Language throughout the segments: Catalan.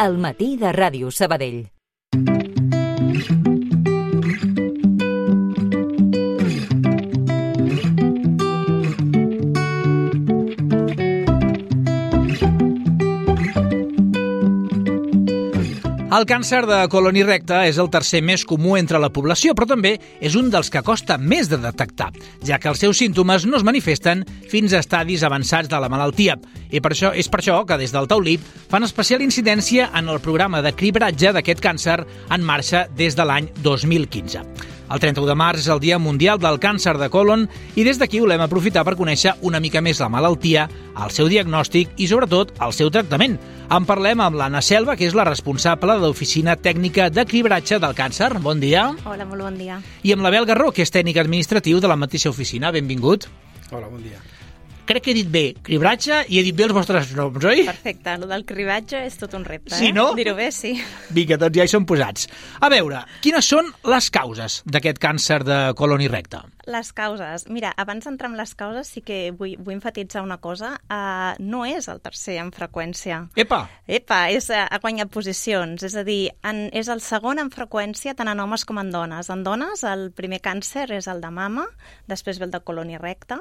al matí de Ràdio Sabadell. El càncer de colon i recte és el tercer més comú entre la població, però també és un dels que costa més de detectar, ja que els seus símptomes no es manifesten fins a estadis avançats de la malaltia. I és per això que des del Taulip fan especial incidència en el programa de cribratge d'aquest càncer en marxa des de l'any 2015. El 31 de març és el Dia Mundial del Càncer de Colon i des d'aquí volem aprofitar per conèixer una mica més la malaltia, el seu diagnòstic i, sobretot, el seu tractament. En parlem amb l'Anna Selva, que és la responsable de l'Oficina Tècnica de Cribratge del Càncer. Bon dia. Hola, molt bon dia. I amb l'Abel Garró, que és tècnic administratiu de la mateixa oficina. Benvingut. Hola, bon dia. Crec que he dit bé cribratge i he dit bé els vostres noms, oi? Perfecte, el del cribratge és tot un repte, Sí, no? Dir-ho bé, sí. Vinga, doncs ja hi som posats. A veure, quines són les causes d'aquest càncer de colon i recte? Les causes. Mira, abans d'entrar en les causes sí que vull enfatitzar una cosa. No és el tercer en freqüència. Epa, ha guanyat posicions. És a dir, és el segon en freqüència tant en homes com en dones. En dones el primer càncer és el de mama, després ve el de colon i recte,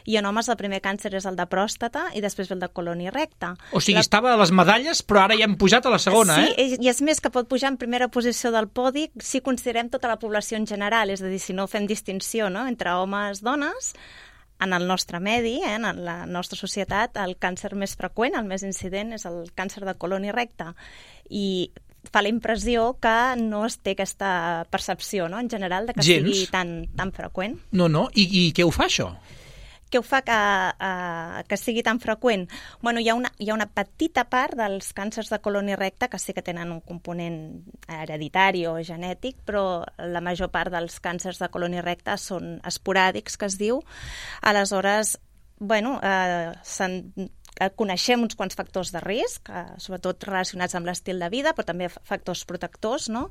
i en homes el primer càncer és el de pròstata i després ve el de colon i recte. o sigui, estava a les medalles, però ara ja hem pujat a la segona, Sí, i és més que pot pujar en primera posició del podi si considerem tota la població en general, és a dir, si no fem distinció, no?, entre homes i dones. En el nostre medi, en la nostra societat, el càncer més freqüent, el més incident, és el càncer de colon i recte. I fa la impressió que no es té aquesta percepció, no?, en general, de que sigui tan freqüent. No, i què ho fa, això? Què ho fa que sigui tan freqüent? Bueno, hi ha una petita part dels càncers de colon i recte que sí que tenen un component hereditari o genètic, però la major part dels càncers de colon i recte són esporàdics, que es diu. Aleshores, bueno, coneixem uns quants factors de risc, sobretot relacionats amb l'estil de vida, però també factors protectors, no?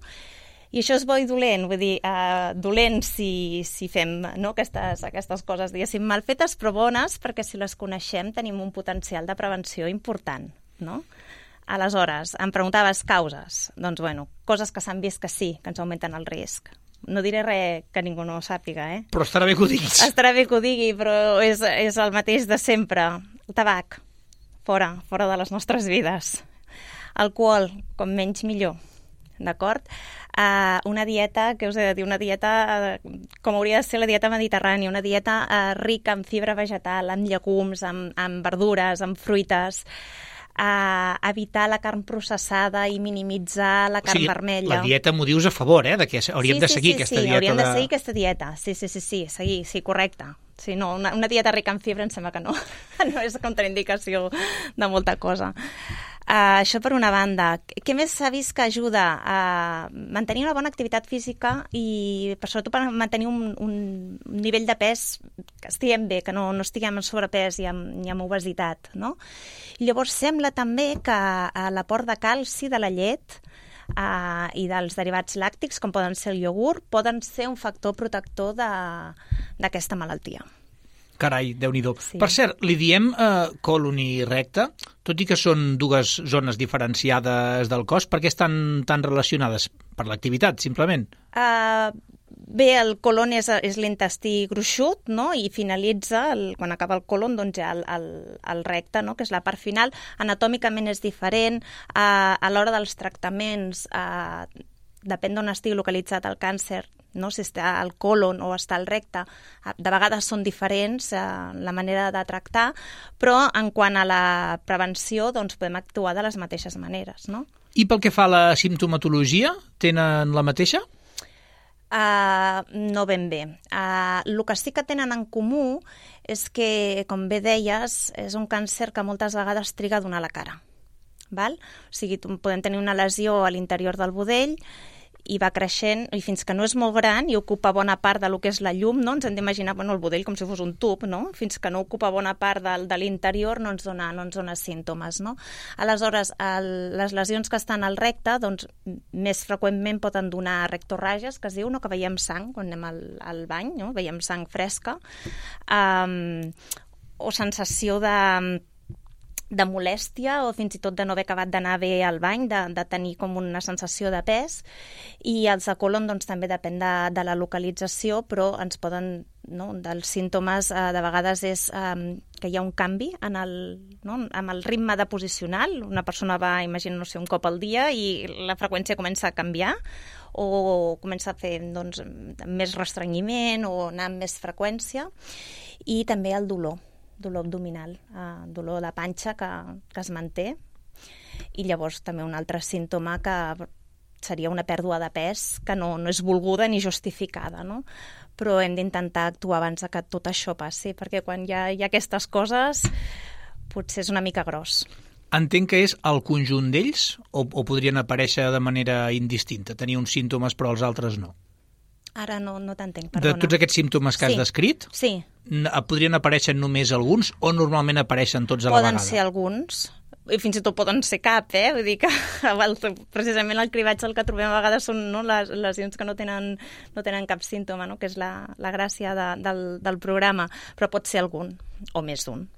I això és bo i dolent, vull dir, dolent si fem, no, aquestes coses, diguéssim, mal fetes, però bones, perquè si les coneixem tenim un potencial de prevenció important, no? Aleshores, em preguntaves causes. Doncs, bueno, coses que s'han vist que sí, que ens augmenten el risc. No diré res que ningú no ho sàpiga, Però estarà bé que ho diguis. Estarà bé que ho digui, però és el mateix de sempre. El tabac, fora de les nostres vides. Alcohol, com menys millor. D'acord? Una dieta, què us he de dir? Una dieta com hauria de ser la dieta mediterrània, una dieta rica en fibra vegetal, en llegums, en verdures, en fruites, evitar la carn processada i minimitzar la carn vermella. La dieta m'ho dius a favor, de que hauríem de seguir aquesta dieta. Sí, hauríem de seguir aquesta dieta. Sí, seguir, sí, correcte. Sí, no, una dieta rica en fibra em sembla que no és contraindicació de molta cosa. Això per una banda. Què més s'ha vist que ajuda? A mantenir una bona activitat física i sobretot per mantenir un nivell de pes que estiguem bé, que no estiguem en sobrepès i amb obesitat, no? I llavors sembla també que l'aport de calci de la llet i dels derivats làctics, com poden ser el iogurt, poden ser un factor protector d'aquesta malaltia. Carai, Déu-n'hi-do. Sí. Per cert, li diem colon i recte, tot i que són dues zones diferenciades del cos, per què estan tan relacionades? Per l'activitat, simplement? Bé, el colon és l'intestí gruixut, no?, i finalitza, quan acaba el colon, doncs ja el recte, no?, que és la part final. Anatòmicament és diferent. A l'hora dels tractaments, depèn d'on estigui localitzat el càncer, no? Si està al colon o està al recte, de vegades són diferents la manera de tractar, però en quant a la prevenció doncs podem actuar de les mateixes maneres, no? I pel que fa a la simptomatologia, tenen la mateixa? No ben bé. El que sí que tenen en comú és que, com bé deies, és un càncer que moltes vegades triga a donar la cara. Val? O sigui, podem tenir una lesió a l'interior del budell i va creixent, i fins que no és molt gran i ocupa bona part del que és la llum, no? Ens hem d'imaginar el budell com si fos un tub, no? Fins que no ocupa bona part de l'interior no ens dona símptomes, no? Aleshores, les lesions que estan al recte, doncs, més freqüentment poden donar rectorrages, que es diu, no? Que veiem sang quan anem al bany, no? Veiem sang fresca, o sensació de molèstia o fins i tot de no haver acabat d'anar bé al bany, de tenir com una sensació de pes. I els de colon doncs, també depèn de la localització, però ens poden, no, dels símptomes de vegades és que hi ha un canvi en el ritme deposicional. Una persona va, imagina, no sé, un cop al dia i la freqüència comença a canviar o comença a fer doncs, més restrenyiment o anar amb més freqüència. I també el dolor abdominal, dolor de panxa que es manté. I llavors també un altre símptoma que seria una pèrdua de pes que no és volguda ni justificada, no? Però hem d'intentar actuar abans que tot això passi, perquè quan hi ha aquestes coses potser és una mica gros. Entenc que és el conjunt d'ells o podrien aparèixer de manera indistinta, tenir uns símptomes però els altres no? Ara no t'entenc, perdona. De tots aquests símptomes que has descrit, podrien aparèixer només alguns o normalment apareixen tots a la vegada? Poden ser alguns, i fins i tot poden ser cap, Vull dir que precisament el cribatge el que trobem a vegades són les lesions que no tenen cap símptoma, no? Que és la gràcia del programa, però pot ser algun, o més d'un.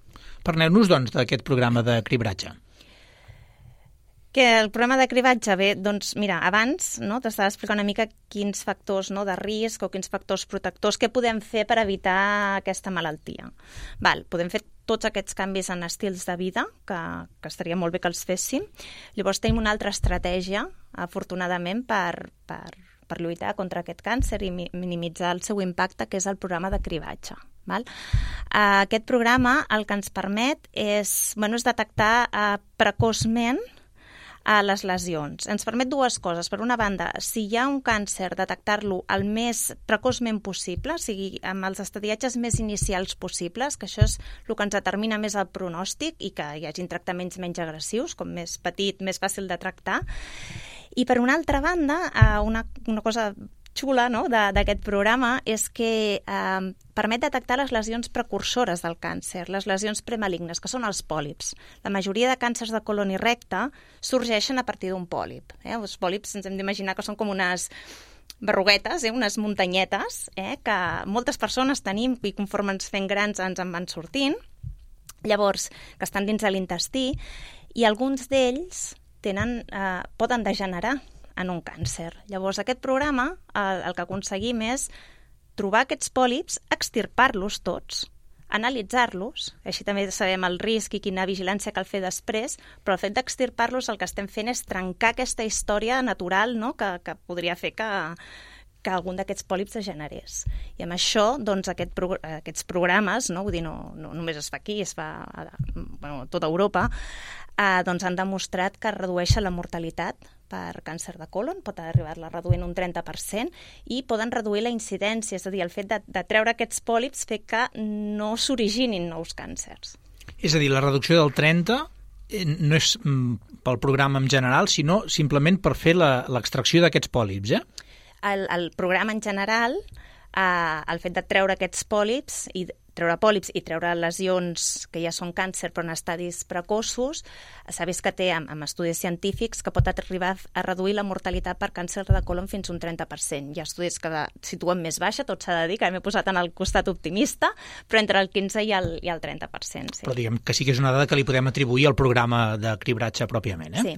Parleu-nos, doncs, d'aquest programa de cribratge. Que el programa de cribatge, bé, doncs mira, abans t'estava explicant una mica quins factors de risc o quins factors protectors, què podem fer per evitar aquesta malaltia. Podem fer tots aquests canvis en estils de vida, que estaria molt bé que els féssim. Llavors tenim una altra estratègia, afortunadament, per lluitar contra aquest càncer i minimitzar el seu impacte, que és el programa de cribatge. Aquest programa el que ens permet és detectar precoçment les lesions. Ens permet dues coses. Per una banda, si hi ha un càncer, detectar-lo el més precoçment possible, o sigui, amb els estadiatges més inicials possibles, que això és el que ens determina més el pronòstic i que hi hagin tractaments menys agressius, com més petit, més fàcil de tractar. I per una altra banda, una cosa xula d'aquest programa és que permet detectar les lesions precursores del càncer, les lesions premalignes, que són els pòlips. La majoria de càncers de colon i recte sorgeixen a partir d'un pòlip. Els pòlips ens hem d'imaginar que són com unes berruguetes, unes muntanyetes, que moltes persones tenim i conforme ens fem grans ens en van sortint, llavors que estan dins de l'intestí, i alguns d'ells poden degenerar en un càncer. Llavors, aquest programa, el que aconseguim és trobar aquests pòlips, extirpar-los tots, analitzar-los, així també sabem el risc i quina vigilància cal fer després, però el fet d'extirpar-los el que estem fent és trencar aquesta història natural que podria fer que algun d'aquests pòlips degenerés. I amb això, doncs, aquests programes, vull dir, no només es fa aquí, es fa a tota Europa, doncs han demostrat que redueixen la mortalitat per càncer de colon, pot arribar-la reduint un 30%, i poden reduir la incidència, és a dir, el fet de treure aquests pòlips fer que no s'originin nous càncers. És a dir, la reducció del 30% no és pel programa en general, sinó simplement per fer l'extracció d'aquests pòlips, El programa en general, el fet de treure aquests pòlips i treure lesions que ja són càncer però en estadis precoços, s'ha vist que té amb estudis científics que pot arribar a reduir la mortalitat per càncer de colon fins a un 30%. Hi ha estudis que situen més baixa, tot s'ha de dir, que m'he posat en el costat optimista, però entre el 15 i el 30%. Sí. Però diguem que sí que és una dada que li podem atribuir al programa de cribratge pròpiament, Sí.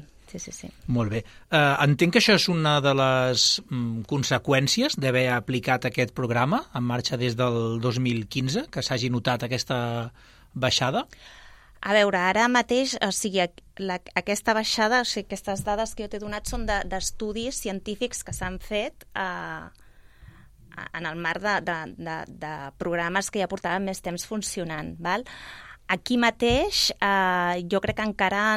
Molt bé. Entenc que això és una de les conseqüències d'haver aplicat aquest programa en marxa des del 2015, que s'hagi notat aquesta baixada? A veure, ara mateix, o sigui, aquesta baixada, o sigui, aquestes dades que jo t'he donat són d'estudis científics que s'han fet en el marc de programes que ja portaven més temps funcionant. Aquí mateix jo crec que encara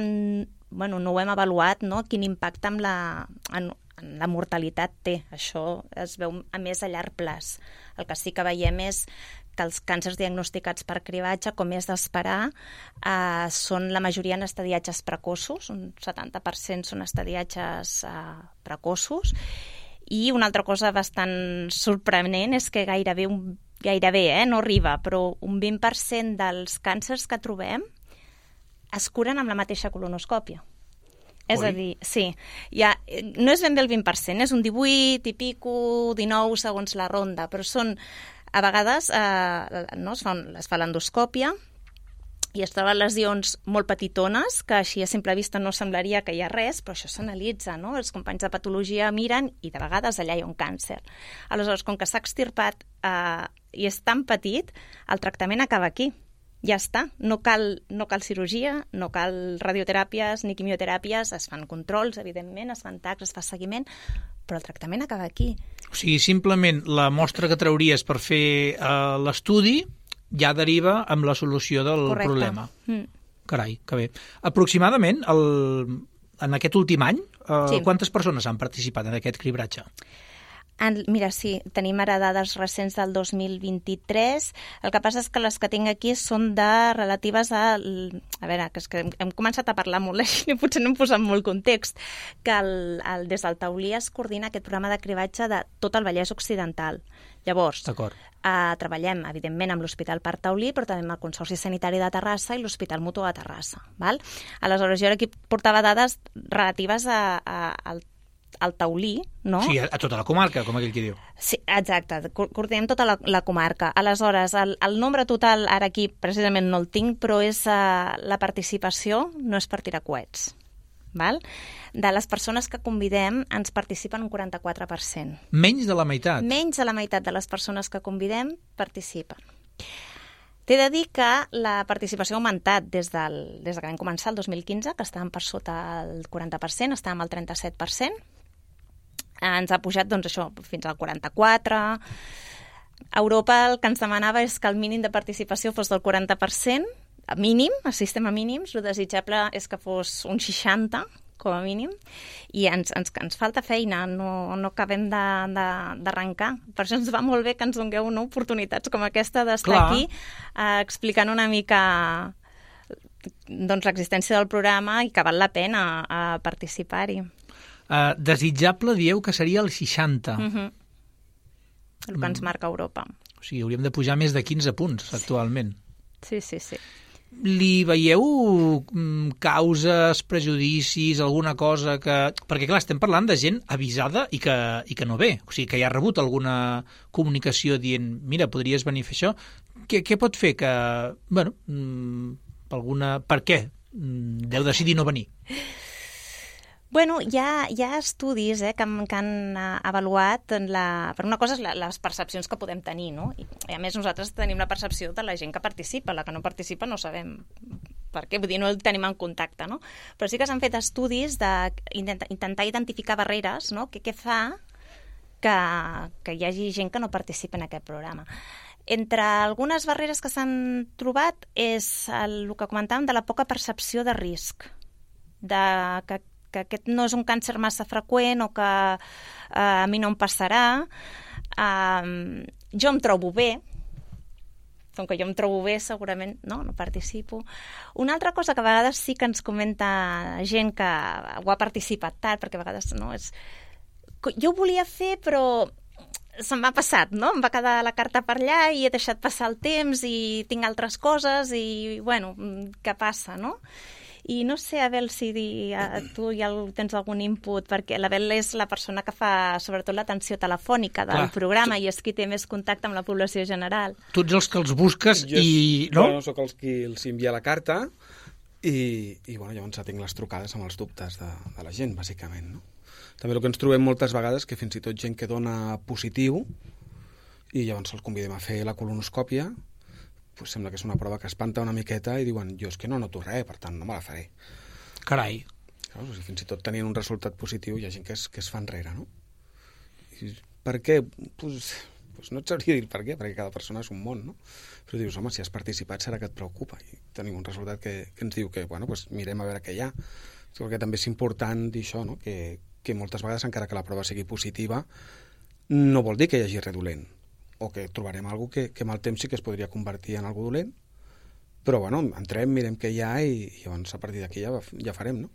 no ho hem avaluat, quin impacte en la mortalitat té. Això es veu a més a llarg plaç. El que sí que veiem és que els càncers diagnosticats per cribatge, com és d'esperar, són la majoria en estadiatges precoços, un 70% són estadiatges precoços, i una altra cosa bastant sorprenent és que gairebé, no arriba, però un 20% dels càncers que trobem es curen amb la mateixa colonoscòpia. És a dir, sí, no és ben bé el 20%, és un 18 i pico, 19 segons la ronda, però són, a vegades, es fa l'endoscòpia i es troben lesions molt petitones, que així a simple vista no semblaria que hi ha res, però això s'analitza, no? Els companys de patologia miren i de vegades allà hi ha un càncer. Aleshores, com que s'ha extirpat i és tan petit, el tractament acaba aquí. Ja està. No cal cirurgia, no cal radioteràpies ni quimioteràpies, es fan controls, evidentment, es fan tacs, es fa seguiment, però el tractament acaba aquí. O sigui, simplement la mostra que trauries per fer l'estudi ja deriva amb la solució del problema. Carai, que bé. Aproximadament, en aquest últim any, quantes persones han participat en aquest cribratge? Mira, sí, tenim ara dades recents del 2023. El que passa és que les que tinc aquí són relatives a... A veure, que és que hem començat a parlar molt així i potser no hem posat molt context, que des del Taulí es coordina aquest programa de cribatge de tot el Vallès Occidental. Llavors, treballem, evidentment, amb l'Hospital Parc Taulí, però també amb el Consorci Sanitari de Terrassa i l'Hospital Mutu de Terrassa. Val? Aleshores, jo ara aquí portava dades relatives al Taulí, no? Sí, a tota la comarca, com aquell que diu. Sí, exacte, coordinem tota la comarca. Aleshores, el nombre total, ara aquí precisament no el tinc, però és la participació, no és per tirar coets. Val? De les persones que convidem, ens participen un 44%. Menys de la meitat? Menys de la meitat de les persones que convidem participen. T'he de dir que la participació ha augmentat des que vam començar el 2015, que estàvem per sota el 40%, estàvem al 37%. Ens ha pujat, doncs, això, fins al 44%. A Europa el que ens demanava és que el mínim de participació fos del 40%, mínim, a sistema mínims. El desitjable és que fos un 60%, com a mínim, i ens falta feina, no acabem d'arrencar. Per això ens va molt bé que ens dongueu oportunitats com aquesta d'estar aquí explicant una mica l'existència del programa i que val la pena participar-hi. Desitjable dieu que seria el 60. El que ens marca Europa. O sigui, hauríem de pujar més de 15 punts actualment. Sí. Li veieu causes, prejudicis, alguna cosa que... Perquè, clar, estem parlant de gent avisada i que no ve. O sigui, que ja ha rebut alguna comunicació dient, mira, podries venir a fer això. Què pot fer que... Bueno, per què deu decidir no venir? Bueno, hi ha estudis que han avaluat, per una cosa, les percepcions que podem tenir, no? I a més nosaltres tenim la percepció de la gent que participa, la que no participa no sabem per què, vull dir, no el tenim en contacte, no? Però sí que s'han fet estudis d'intentar identificar barreres, no? Què fa que hi hagi gent que no participa en aquest programa. Entre algunes barreres que s'han trobat és el que comentàvem de la poca percepció de risc, que aquest no és un càncer massa freqüent o que a mi no em passarà. Jo em trobo bé, com que jo em trobo bé segurament no participo. Una altra cosa que a vegades sí que ens comenta gent que ho ha participat tard, perquè a vegades no és... Jo ho volia fer però se'm m'ha passat, no? Em va quedar la carta per allà i he deixat passar el temps i tinc altres coses i, bueno, què passa, no? I no sé, Abel, si tu ja tens algun input, perquè l'Abel és la persona que fa sobretot l'atenció telefònica del programa i és qui té més contacte amb la població general. Tu ets els que els busques i... No? Jo soc els qui els envia la carta i bueno, llavors tinc les trucades amb els dubtes de la gent, bàsicament, no? També el que ens trobem moltes vegades que fins i tot gent que dona positiu i llavors els convidem a fer la colonoscòpia, pues sembla que és una prova que espanta una miqueta i diuen, jo és que no noto res, per tant no me la faré. Carai. Fins i tot tenint un resultat positiu hi ha gent que es fa enrere, no? I per què? Pues no et sabria dir per què, perquè cada persona és un món, no? Però dius, home, si has participat serà que et preocupa. I tenim un resultat que ens diu que, bueno, pues mirem a veure què hi ha. Perquè també és important dir això, no? Que moltes vegades, encara que la prova sigui positiva, no vol dir que hi hagi res dolent, o que trobarem alguna cosa que amb el temps sí que es podria convertir en alguna dolent, però bueno, entrem, mirem què hi ha i llavors a partir d'aquí ja farem, no?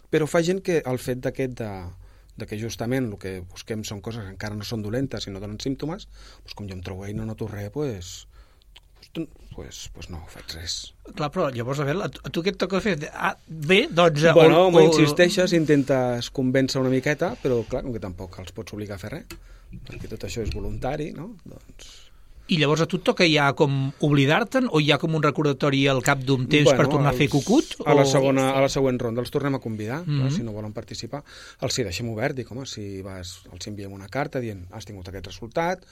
Però fa gent que el fet de que justament el que busquem són coses que encara no són dolentes i no donen símptomes, doncs com jo em trobo i no noto res, pues no faig res. Clar, però llavors, a veure, a tu què et toca fer? Bé, doncs... Bueno, insisteixes, intentes convèncer una miqueta, però clar, com que tampoc els pots obligar a fer res, perquè tot això és voluntari, no? Doncs I llavors a tu et toca ja com oblidar-te'n o hi ha com un recordatori al cap d'un temps per tornar a fer cucut? A la següent ronda els tornem a convidar, si no volen participar. Els deixem obert, dic, home, si els enviem una carta dient has tingut aquest resultat,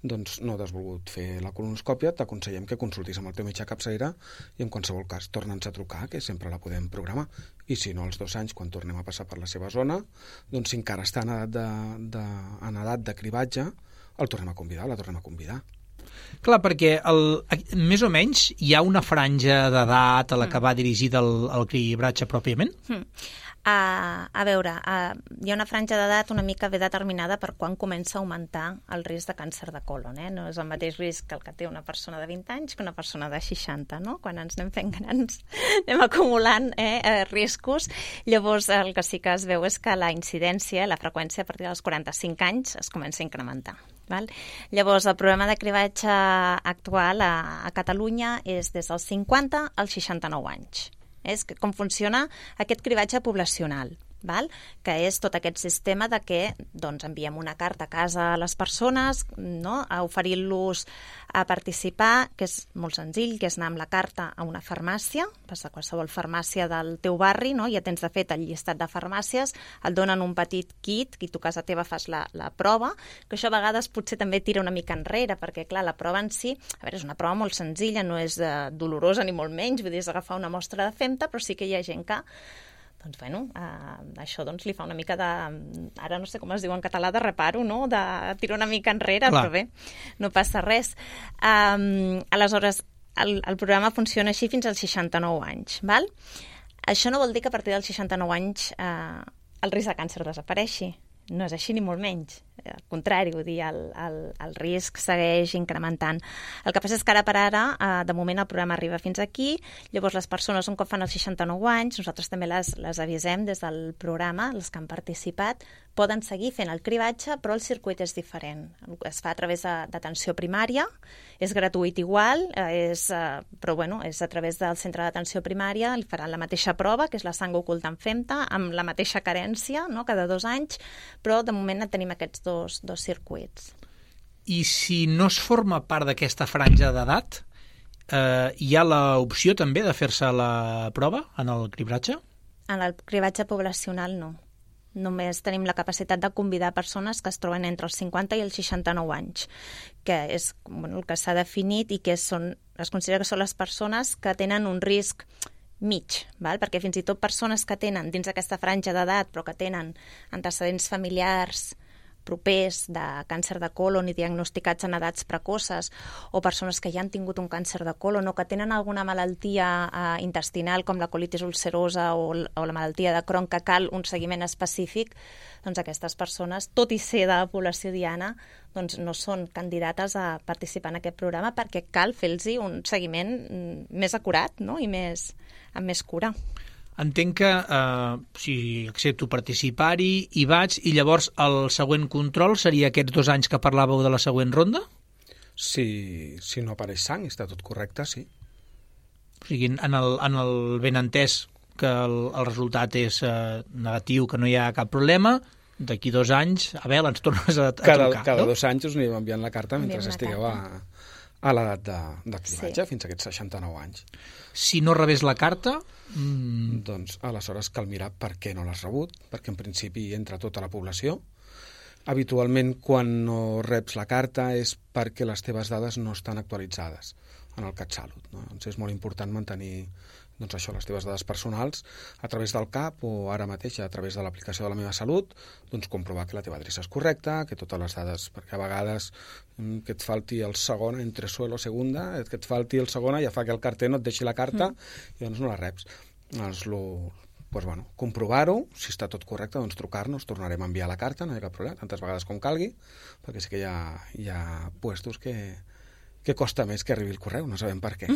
doncs no t'has volgut fer la colonoscòpia, t'aconsellem que consultis amb el teu metge capçalera i en qualsevol cas torna'ns a trucar, que sempre la podem programar. I si no, als 2 anys, quan tornem a passar per la seva zona, doncs si encara està en edat de cribatge, el tornem a convidar, la tornem a convidar. Clar, perquè més o menys hi ha una franja d'edat a la que va dirigida el cribratge pròpiament? A veure, hi ha una franja d'edat una mica ben determinada per quan comença a augmentar el risc de càncer de colon. No és el mateix risc que el que té una persona de 20 anys que una persona de 60, no? Quan ens anem fent grans anem acumulant riscos. Llavors, el que sí que es veu és que la incidència, la freqüència a partir dels 45 anys es comença a incrementar. Val? Llavors, el programa de cribatge actual a Catalunya és des dels 50 als 69 anys. És com funciona aquest cribatge poblacional, val? Que és tot aquest sistema de que enviem una carta a casa a les persones, no? A oferir-los a participar, que és molt senzill, que és anar amb la carta a una farmàcia, vas a qualsevol farmàcia del teu barri, no? Ja tens de fet el llistat de farmàcies, et donen un petit kit, i tu a casa teva fas la prova, que això a vegades potser també tira una mica enrere, perquè clar, la prova en si, a veure, és una prova molt senzilla, no és dolorosa ni molt menys, vull dir, és agafar una mostra de femta, però sí que hi ha gent que això li fa una mica de... Ara no sé com es diu en català, de reparo, no? De tirar una mica enrere, clar. Però bé, no passa res. Aleshores, el programa funciona així fins als 69 anys, val? Això no vol dir que a partir dels 69 anys el risc de càncer desapareixi. No és així ni molt menys. Al contrari, vull dir, el risc segueix incrementant. El que passa és que ara per ara, de moment el programa arriba fins aquí, llavors les persones un cop fan els 69 anys, nosaltres també les avisem des del programa, les que han participat, poden seguir fent el cribatge, però el circuit és diferent. Es fa a través d'atenció primària, és gratuït igual, però bueno, és a través del centre d'atenció primària, li faran la mateixa prova, que és la sang oculta en femta, amb la mateixa carència, no? Cada 2 anys, però de moment tenim aquests dos circuits. I si no es forma part d'aquesta franja d'edat, hi ha l'opció també de fer-se la prova en el cribratge? En el cribratge poblacional no. Només tenim la capacitat de convidar persones que es troben entre els 50 i els 69 anys, que és el que s'ha definit i que es considera que són les persones que tenen un risc mig, val? Perquè fins i tot persones que tenen dins aquesta franja d'edat però que tenen antecedents familiars propers de càncer de colon i diagnosticats en edats precoces, o persones que ja han tingut un càncer de colon o que tenen alguna malaltia intestinal com la colitis ulcerosa o la malaltia de Crohn que cal un seguiment específic, doncs aquestes persones, tot i ser de la població diana, doncs no són candidates a participar en aquest programa perquè cal fer-los un seguiment més acurat, no? I amb més cura. Entenc que si accepto participar-hi, hi vaig, i llavors el següent control seria aquests 2 anys que parlàveu de la següent ronda? Si no apareix sang i està tot correcte, sí. O sigui, en el benentès que el resultat és negatiu, que no hi ha cap problema, d'aquí 2 anys, Abel, ens tornes a trucar. Cada 2 anys us anirem enviant la carta mentre estigueu a l'edat de cribatge, fins a aquests 69 anys. Si no rebés la carta... Doncs aleshores cal mirar per què no l'has rebut, perquè en principi entra tota la població. Habitualment, quan no reps la carta és perquè les teves dades no estan actualitzades en el CatSalut, no? Doncs és molt important mantenir les teves dades personals a través del CAP o ara mateix a través de l'aplicació de la Meva Salut, doncs comprovar que la teva adreça és correcta, que totes les dades, perquè a vegades que et falti el segon, entre suelo segunda, que et falti el segona ja fa que el carter no et deixi la carta i doncs no la reps. Comprovar-ho, si està tot correcte, doncs trucar-nos, tornarem a enviar la carta, no hi ha cap problema, tantes vegades com calgui, perquè sí que hi ha puestos que costa més que arribi el correu, no sabem per què.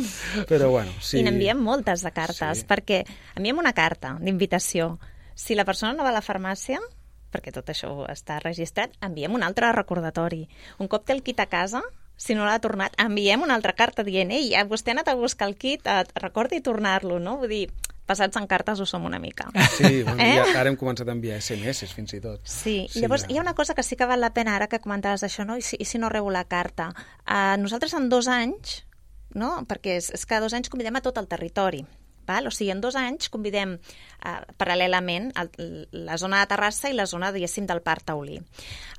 Però bueno, sí. I n'enviem moltes de cartes, perquè enviem una carta d'invitació. Si la persona no va a la farmàcia, perquè tot això està registrat, enviem un altre recordatori. Un cop té el kit a casa, si no l'ha tornat, enviem una altra carta dient ei, vostè ha anat a buscar el kit, recordi tornar-lo, no? Vull dir, passats en cartes ho som una mica. Sí, bueno, ja, ara hem començat a enviar SMS fins i tot. Sí, llavors hi ha una cosa que sí que val la pena ara que comentaves això, no? I si no rebo la carta. Nosaltres en 2 anys, no? Perquè és que 2 anys convidem a tot el territori. Val? O sigui, en 2 anys convidem paral·lelament la zona de Terrassa i la zona, diguéssim, del Parc Taulí.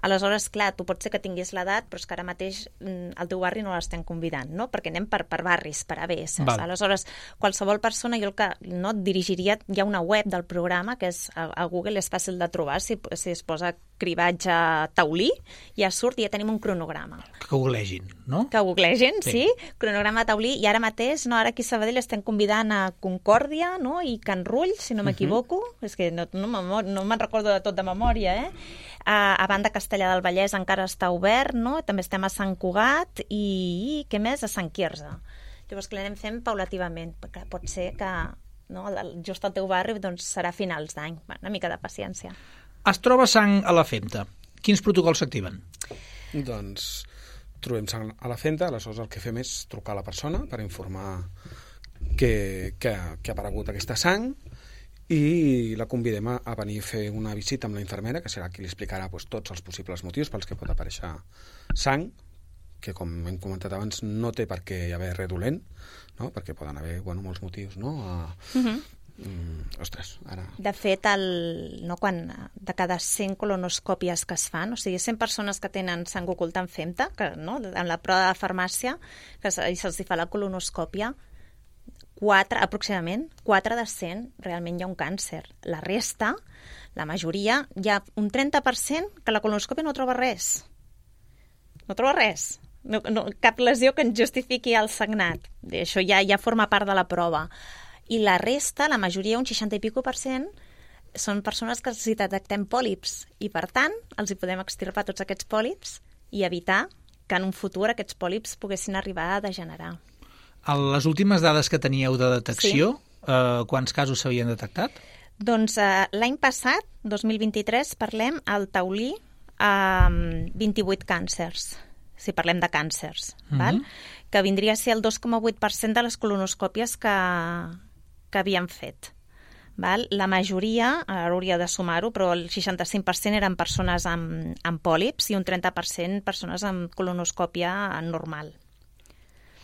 Aleshores, clar, tu pot ser que tinguis l'edat, però és que ara mateix al teu barri no l'estem convidant, no? Perquè anem per barris, per ABS. Aleshores, qualsevol persona, jo el que no et dirigiria, hi ha una web del programa que és a Google, és fàcil de trobar, si es posa cribatge Taulí, ja surt i ja tenim un cronograma. Que googlegin, no? Que googlegin, sí. Cronograma Taulí, i ara mateix, no, ara aquí a Sabadell estem convidant a Concòrdia, no? I Can Rull, si no m'equivoco, és que no me'n recordo de tot de memòria, a Banda Castellar del Vallès encara està obert, no? També estem a Sant Cugat i què més? A Sant Quirze. Llavors que l'anem fent paulativament, perquè pot ser que just al teu barri doncs, serà a finals d'any. Una mica de paciència. Es troba sang a la femta. Quins protocols s'activen? Doncs trobem sang a la femta, aleshores el que fem és trucar a la persona per informar que ha aparegut aquesta sang i la convidem a venir a fer una visita amb la infermera, que serà qui li explicarà tots els possibles motius pels que pot aparèixer sang, que com hem comentat abans no té per què hi haver res dolent, no? Perquè poden haver molts motius, no? Ostres, ara... De fet, de cada 100 colonoscòpies que es fan, o sigui, 100 persones que tenen sang oculta en femta, no? En la prova de farmàcia, que se'ls fa la colonoscòpia, aproximadament 4 de 100 realment hi ha un càncer. La resta, la majoria, hi ha un 30% que la colonoscòpia no troba res. No troba res. No, cap lesió que ens justifiqui el sagnat. Això ja forma part de la prova. I la resta, la majoria, un 60 i pico %, són persones que els detectem pòlips i, per tant, els hi podem extirpar tots aquests pòlips i evitar que en un futur aquests pòlips poguessin arribar a degenerar. A les últimes dades que teníeu de detecció, quants casos s'havien detectat? Doncs l'any passat, 2023, parlem al Taulí 28 càncers, si parlem de càncers, val? Que vindria a ser el 2,8% de les colonoscòpies que havíem fet. Val? La majoria, ara hauria de sumar-ho, però el 65% eren persones amb pòlips i un 30% persones amb colonoscòpia normal.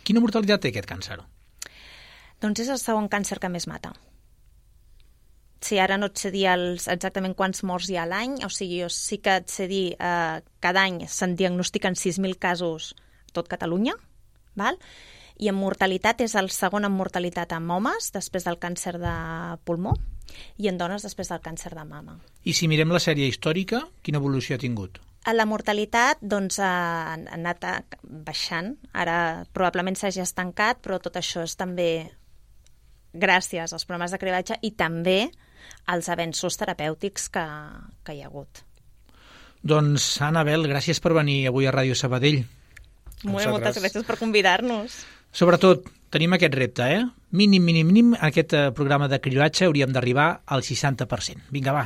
Quina mortalitat té aquest càncer? Doncs és el segon càncer que més mata. Sí, ara no et sé dir exactament quants morts hi ha a l'any, o sigui, jo sí que et sé dir cada any se'n diagnostiquen 6.000 casos a tot Catalunya, val? I en mortalitat és el segon en mortalitat en homes, després del càncer de pulmó, i en dones després del càncer de mama. I si mirem la sèrie històrica, quina evolució ha tingut? La mortalitat doncs, ha anat baixant. Ara probablement s'hagi estancat, però tot això és també gràcies als programes de cribatge i també als avenços terapèutics que hi ha hagut. Doncs, Anabel, gràcies per venir avui a Ràdio Sabadell. Moltes gràcies per convidar-nos. Sobretot, tenim aquest repte, Mínim, aquest programa de cribatge hauríem d'arribar al 60%. Vinga, va,